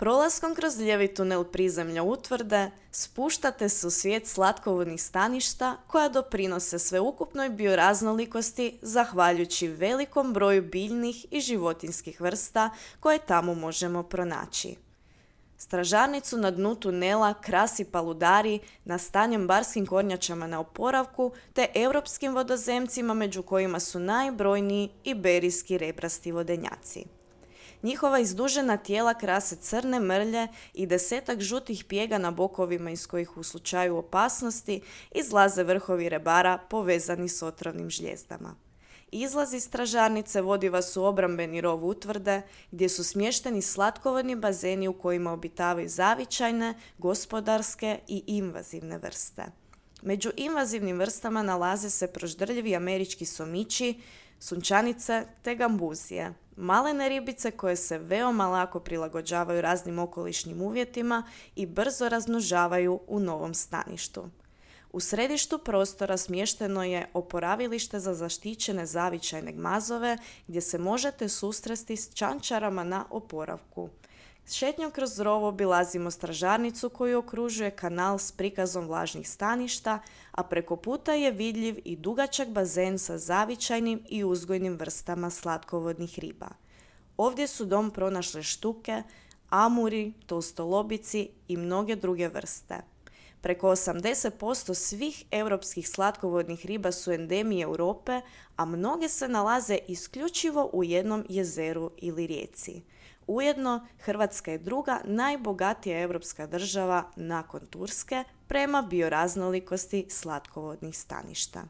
Prolaskom kroz lijevi tunel prizemlja utvrde spuštate se u svijet slatkovodnih staništa koja doprinose sveukupnoj bioraznolikosti zahvaljujući velikom broju biljnih i životinjskih vrsta koje tamo možemo pronaći. Stražarnicu na dnu tunela krasi paludari nastanjen barskim kornjačama na oporavku te europskim vodozemcima među kojima su najbrojniji iberijski rebrasti vodenjaci. Njihova izdužena tijela krase crne mrlje i desetak žutih pjega na bokovima iz kojih u slučaju opasnosti izlaze vrhovi rebara povezani s otrovnim žljezdama. Izlaz iz stražarnice vodi vas u obrambeni rov utvrde gdje su smješteni slatkovodni bazeni u kojima obitavaju zavičajne, gospodarske i invazivne vrste. Među invazivnim vrstama nalaze se proždrljivi američki somići, sunčanice te gambuzije, malene ribice koje se veoma lako prilagođavaju raznim okolišnim uvjetima i brzo razmnožavaju u novom staništu. U središtu prostora smješteno je oporavilište za zaštićene zavičajne gmazove gdje se možete susresti s čančarama na oporavku. Šetnjom kroz rov obilazimo stražarnicu koju okružuje kanal s prikazom vlažnih staništa, a preko puta je vidljiv i dugačak bazen sa zavičajnim i uzgojnim vrstama slatkovodnih riba. Ovdje su dom pronašle štuke, amuri, tolstolobici i mnoge druge vrste. Preko 80% svih europskih slatkovodnih riba su endemiji Europe, a mnoge se nalaze isključivo u jednom jezeru ili rijeci. Ujedno, Hrvatska je druga najbogatija europska država nakon Turske prema bioraznolikosti slatkovodnih staništa.